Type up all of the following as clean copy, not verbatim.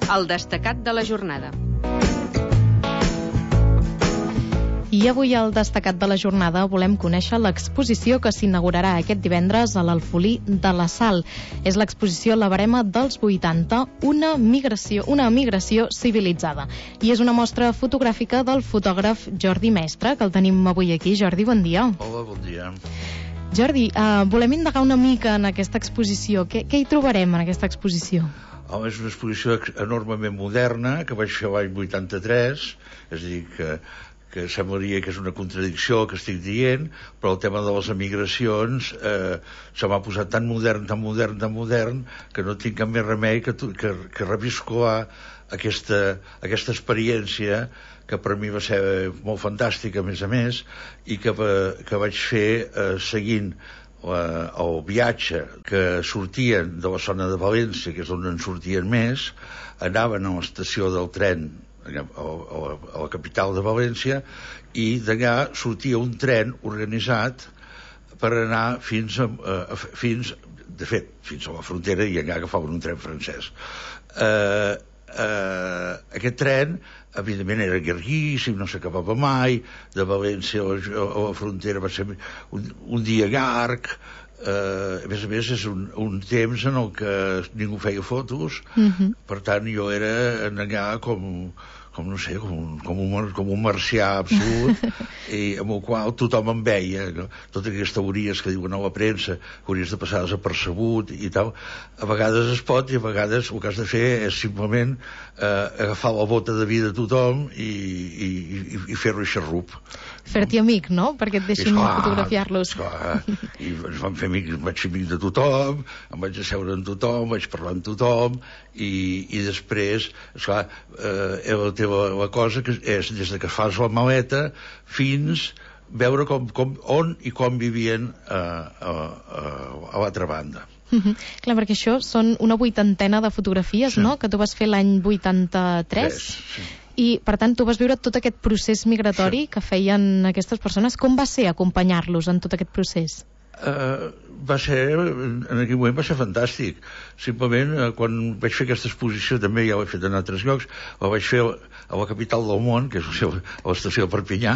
El destacat de la jornada. I avui al destacat de la jornada volem conèixer l'exposició que s'inaugurarà aquest divendres a l'Alfolí de la Sal. És l'exposició La Verema dels 80, una migració civilitzada. I és una mostra fotogràfica del fotògraf Jordi Mestre, que el tenim avui aquí. Jordi, bon dia. Hola, bon dia. Jordi, volem indagar una mica en aquesta exposició. Què hi trobarem en aquesta exposició? És una exposició enormement moderna que vaig fer l'any 83, és a dir, que semblaria que és una contradicció que estic dient, però el tema de les emigracions se m'ha posat tan modern, que no tinc cap més remei que reviscolar aquesta experiència que per mi va ser molt fantàstica, a més, i que vaig fer seguint el viatge que sortien de la zona de València, que és on en sortien més, anaven a l'estació del tren a la capital de València, i d'allà sortia un tren organitzat per anar fins a la frontera, i allà agafaven un tren francès. Aquest tren evidentment era llarguíssim, no s'acabava mai. De València a la frontera va ser un dia llarg. A més, és un temps en el que ningú feia fotos. Per tant, jo era allà com un marcià absolut, i amb el qual tothom em veia, no? Totes aquestes teories que diuen a la premsa que hauries de passar desapercebut i tal, a vegades es pot, i a vegades el que has de fer és simplement agafar la bota de vida a tothom i fer-lo xarrup. Fer-t'hi amic, no? Perquè et deixin fotografiar-los. I vaig fer amic de tothom, em vaig asseure amb tothom, vaig parlar amb tothom, i després, esclar, la cosa que és des que fas la maleta fins veure on i com vivien a l'altra banda. Clar, perquè això són una 80ena de fotografies, sí, no?, que tu vas fer l'any 83. Sí. I, per tant, tu vas viure tot aquest procés migratori, sí, que feien aquestes persones. Com va ser acompanyar-los en tot aquest procés? En aquell moment va ser fantàstic. Simplement, quan vaig fer aquesta exposició, també ja ho he fet en altres llocs, la vaig fer a la capital del món, que és a l'estació de Perpinyà.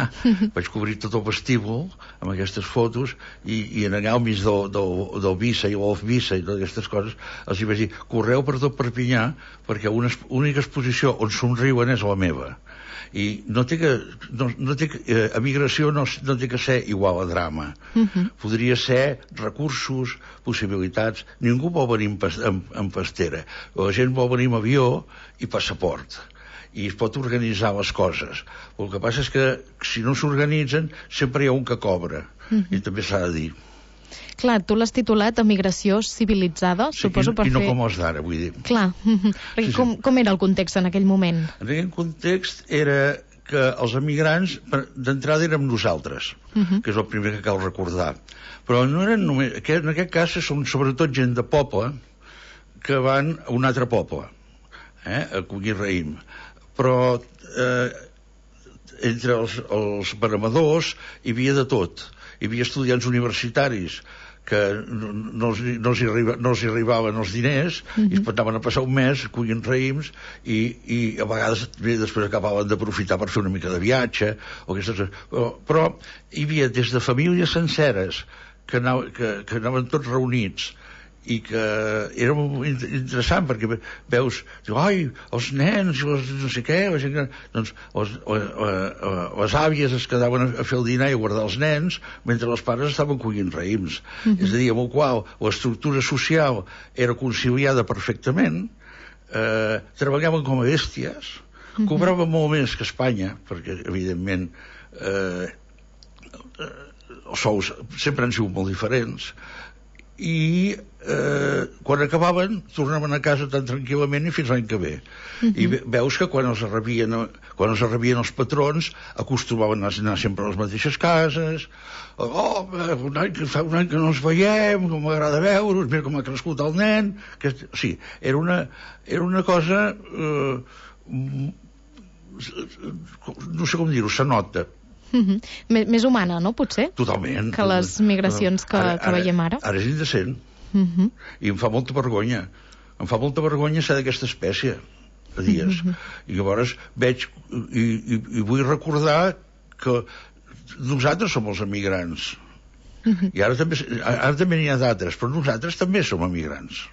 Vaig cobrir tot el vestíbul amb aquestes fotos, i en allà al mig del Visa i l'Off Visa i totes aquestes coses, els hi vaig dir: correu per tot Perpinyà, perquè única exposició on somriuen és la meva. I emigració no té que ser igual a drama. Podria ser recursos, possibilitats. Ningú vol venir en pastera. La gent vol venir amb avió i passaport, i es pot organitzar les coses. El que passa és que si no s'organitzen sempre hi ha un que cobra, i també s'ha de dir. Clar, tu l'has titulat Emigració civilitzada, sí, suposo per fer... I no com els d'ara, vull dir. Clar, perquè sí. Com era el context en aquell moment? En aquell context era que els emigrants d'entrada érem nosaltres, que és el primer que cal recordar. Però no eren només... En aquest cas són sobretot gent de poble que van a un altre poble, a collir raïm. Però entre els veremadors hi havia de tot. Hi havia estudiants universitaris que no els hi arribaven els diners, i es anaven a passar un mes collint raïms, i a vegades després acabaven d'aprofitar per fer una mica de viatge o aquestes... Però hi havia des de famílies senceres que anaven tots reunits, i que era molt interessant, perquè veus, ai, els nens, no sé què, doncs les àvies es quedaven a fer el dinar i a guardar els nens, mentre els pares estaven collint raïms. És a dir, amb el qual l'estructura social era conciliada perfectament, treballaven com a bèsties, cobraven molt més que a Espanya, perquè, evidentment, els sous sempre han sigut molt diferents, i quan acabaven tornaven a casa tan tranquil·lament i fins l'any que ve. I veus que quan els rebien els patrons acostumaven a anar sempre a les mateixes cases. Fa un any que no ens veiem, com m'agrada veure'ls, mira com ha crescut el nen. Sí, era una cosa no sé com dir-ho, se nota. Més humana, no, potser? Totalment. Que les migracions que veiem ara. Ara és indecent. I em fa molta vergonya. Em fa molta vergonya ser d'aquesta espècie. a dies. I llavors veig i vull recordar que nosaltres som els emigrants. I ara també n'hi ha d'altres, però nosaltres també som emigrants.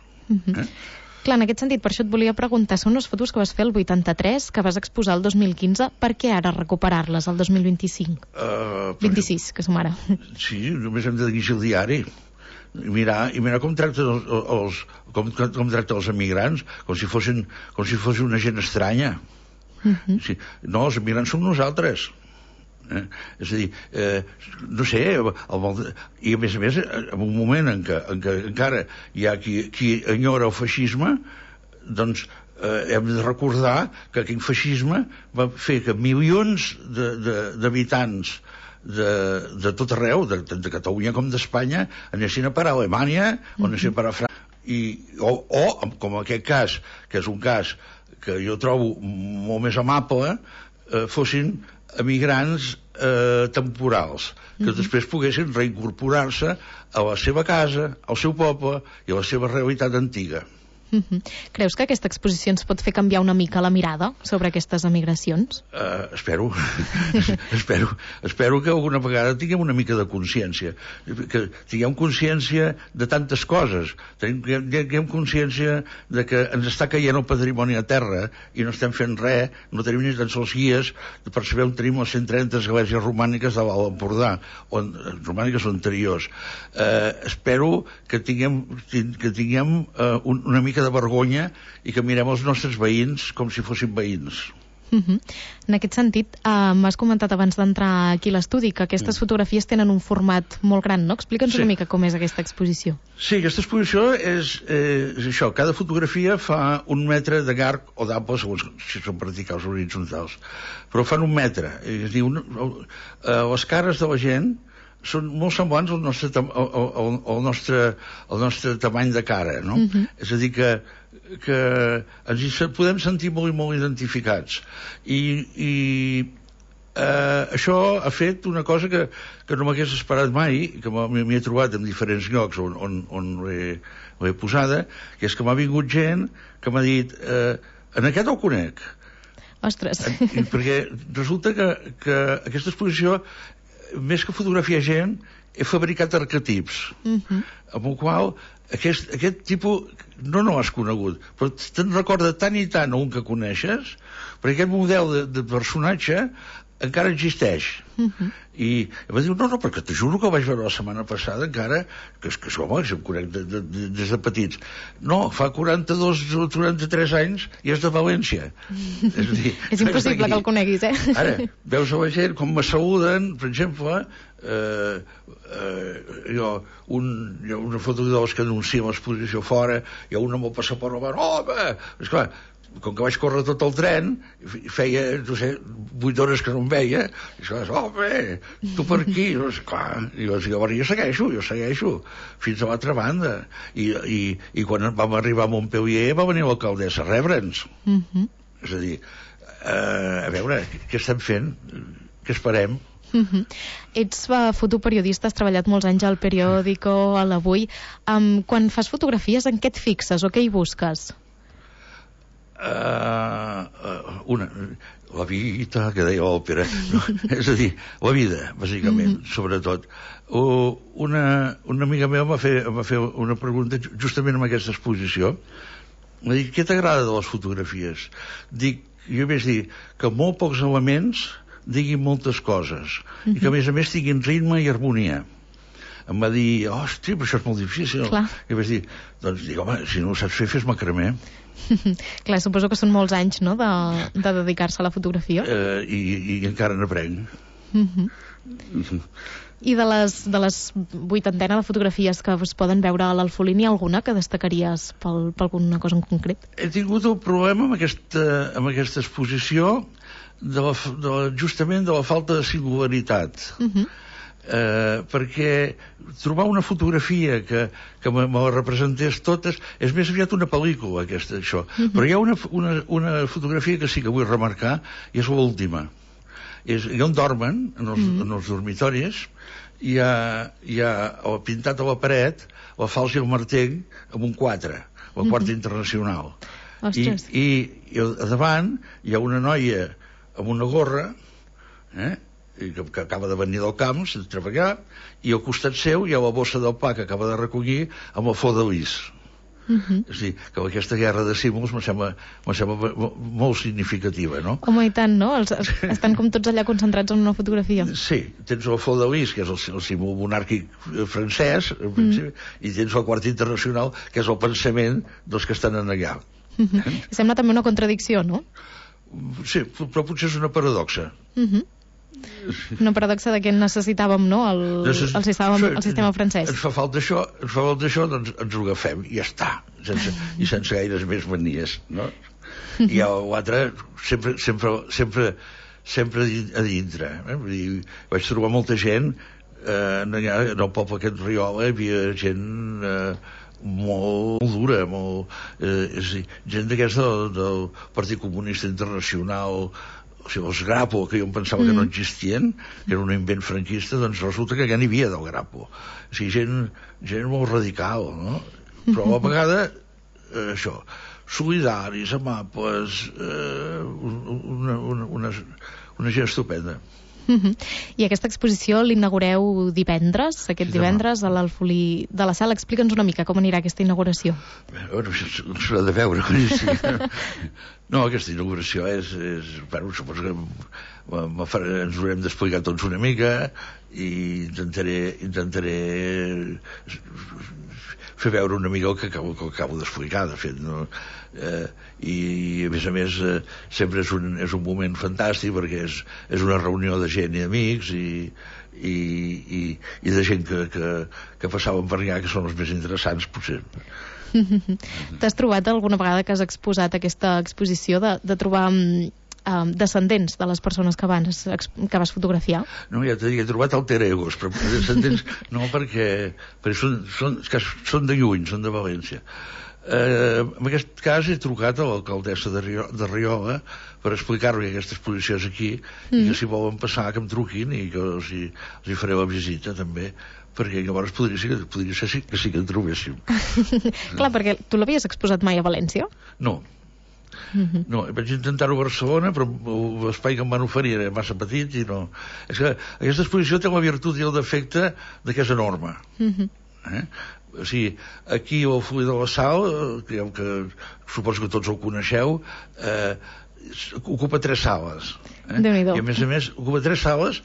Clar, en aquest sentit, per això et volia preguntar, són unes fotos que vas fer el 83, que vas exposar el 2015, per què ara recuperar-les el 2025? 26, que som ara. Sí, només hem de llegir el diari i mirar com tracta com tracta els emigrants, com si fossin una gent estranya. Sí, no, els emigrants som nosaltres. És a dir, no sé, i a més, en un moment en què encara hi ha qui enyora el feixisme, doncs hem de recordar que aquell feixisme va fer que milions d'habitants de tot arreu, de Catalunya com d'Espanya, anessin a parar a Alemanya o anessin a parar a França, o com aquest cas, que és un cas que jo trobo molt més amable, fossin emigrants temporals, que després poguessin reincorporar-se a la seva casa, al seu poble i a la seva realitat antiga. Creus que aquesta exposició ens pot fer canviar una mica la mirada sobre aquestes emigracions? Espero que alguna vegada tinguem una mica de consciència, que tinguem consciència de tantes coses, tinguem consciència de que ens està caient el patrimoni a terra i no estem fent res, no tenim ni tan sols guies per saber on tenim les 130 esglésies romàniques de l'Alt Empordà, romàniques o anteriors. Espero que tinguem una mica de vergonya i que mirem els nostres veïns com si fossin veïns. En aquest sentit, m'has comentat abans d'entrar aquí a l'estudi que aquestes fotografies tenen un format molt gran, no? Explica'ns una mica com és aquesta exposició. Sí, aquesta exposició és això, cada fotografia fa 1 metre de llarg o d'ample, segons si són verticals o horitzontals, però fan 1 metre. És a dir, les cares de la gent són molt semblants al nostre tamany de cara, no? És a dir, que ens hi podem sentir molt i molt identificats. I això ha fet una cosa que no m'hagués esperat mai, que m'hi he trobat en diferents llocs on l'he posada, que és que m'ha vingut gent que m'ha dit en aquest el conec. Ostres! Perquè resulta que aquesta exposició, més que fotografiar gent, he fabricat arquetips, amb el qual aquest tipus no has conegut, però te'n recorda tant i tant un que coneixes, perquè aquest model de personatge encara existeix. I va dir, no, perquè te juro que el vaig veure la setmana passada encara, que home, que em conec des de petits. No, fa 42 o 43 anys i és de València. És a dir, és impossible que el coneguis, Ara, veus a la gent com me saluden, per exemple, hi ha una foto de les que anuncien l'exposició fora, hi ha una amb el passaport al bar, home, esclar, com que vaig córrer tot el tren, feia, no sé, 8 hores que no em veia, i esclar, home, tu per aquí, clar, i llavors jo segueixo, fins a l'altra banda, i quan vam arribar a Montpellier va venir l'alcaldessa a rebre'ns. És a dir, a veure, què estem fent? Què esperem? Ets fotoperiodista, has treballat molts anys al Periódico, a l'Avui. Quan fas fotografies, en què et fixes o què hi busques? La vida, que deia l'òpera, és a dir, la vida, bàsicament, sobretot. Una amiga meva em va fer una pregunta justament en aquesta exposició. M'ha dit, què t'agrada de les fotografies? Jo vaig dir que molt pocs elements diguin moltes coses i que a més tinguin ritme i harmonia. Em va dir, hosti, però això és molt difícil. I vaig dir, doncs, home, si no ho saps fer, fes macramé. Clar, suposo que són molts anys, no?, de dedicar-se a la fotografia. I encara n'aprenc. I de les 80 de fotografies que es poden veure a l'Alfolí, n'hi ha alguna que destacaries per alguna cosa en concret? He tingut el problema amb aquesta exposició justament de la falta de singularitat. Perquè trobar una fotografia que me la representés totes és més aviat una pel·lícula, això. Però hi ha una fotografia que sí que vull remarcar, i és l'última. On dormen, en els dormitoris, hi ha pintat a la paret la falç i el martell amb un 4, la quarta internacional. Ostres. I a davant hi ha una noia amb una gorra, que acaba de venir del camp, de treballar, i al costat seu hi ha la bossa del pa que acaba de recollir amb el flor de lis. És a dir, que aquesta guerra de símbols me sembla molt significativa, no? Home, i tant, no? Estan com tots allà concentrats en una fotografia. Sí, tens el flor de lis, que és el símbol monàrquic francès, i tens el quart internacional, que és el pensament dels que estan allà. Sembla també una contradicció, no? Sí, però potser és una paradoxa. Una paradoxa de que necessitàvem, no?, el sistema francès. Ens fa falta això, doncs ens ho agafem i ja està, i sense gaires més manies, no? I l'altre sempre a dintre, Vull dir, vaig trobar molta gent, en el poble aquest Riola hi havia gent molt dura, gent d'aquesta del Partit Comunista Internacional, o sigui, els Grapo, que jo em pensava que no existien, que era un invent franquista, doncs resulta que ja n'hi havia del Grapo. O sigui, gent molt radical, no? Però a la vegada, això, solidaris, amables, una gent estupenda. I aquesta exposició l'inaugureu divendres, divendres, a l'Alfolí de la Sal. Explica'ns una mica com anirà aquesta inauguració. Bueno, s'ha de veure. No, aquesta inauguració és bueno, suposo que ens ho haurem d'explicar tots una mica i intentaré fer veure una mica el que acabo d'explicar, de fet, no? I a més sempre és un moment fantàstic perquè és una reunió de gent i amics i de gent que passaven per allà, que són els més interessants potser. T'has trobat alguna vegada que has exposat aquesta exposició de trobar descendents de les persones que vas fotografiar? No, ja t'he dit, he trobat alter egos, però descendents no, perquè són de lluny, són de València. En aquest cas he trucat a l'alcaldessa de Riola per explicar-li que aquesta exposició és aquí i que si volen passar que em truquin i que els hi faré la visita també, perquè llavors podria ser que sí que en trobéssim. Clar, perquè tu l'havies exposat mai a València? No, vaig intentar-ho a Barcelona, però l'espai que em van oferir era massa petit i no. És que aquesta exposició té la virtut i el defecte de que és enorme. O sigui, aquí al Alfolí de la Sal, que suposo que tots el coneixeu, ocupa 3 sales. I a més ocupa 3 sales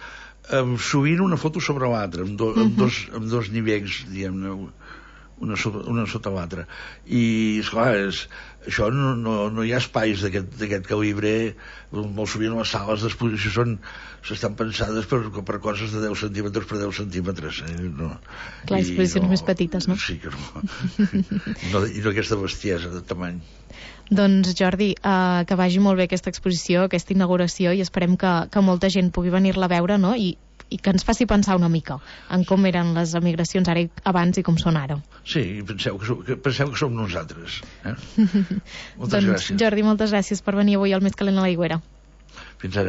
sovint una foto sobre l'altra, amb dos nivells, diguem-ne, una sota l'altra. I, esclar, això no hi ha espais d'aquest calibre. Molt sovint les sales d'exposició s'estan pensades per coses de 10 centímetres per 10 centímetres. Clar, exposicions més petites, no? Sí que no. I no aquesta bestiesa de tamany. Doncs Jordi, que vagi molt bé aquesta exposició, aquesta inauguració, i esperem que molta gent pugui venir-la a veure, no? I que ens faci pensar una mica en com eren les emigracions ara abans i com són ara. Sí, penseu que som nosaltres. Moltes gràcies. Jordi, moltes gràcies per venir avui al Més Calent a l'Aigüera. Fins ara.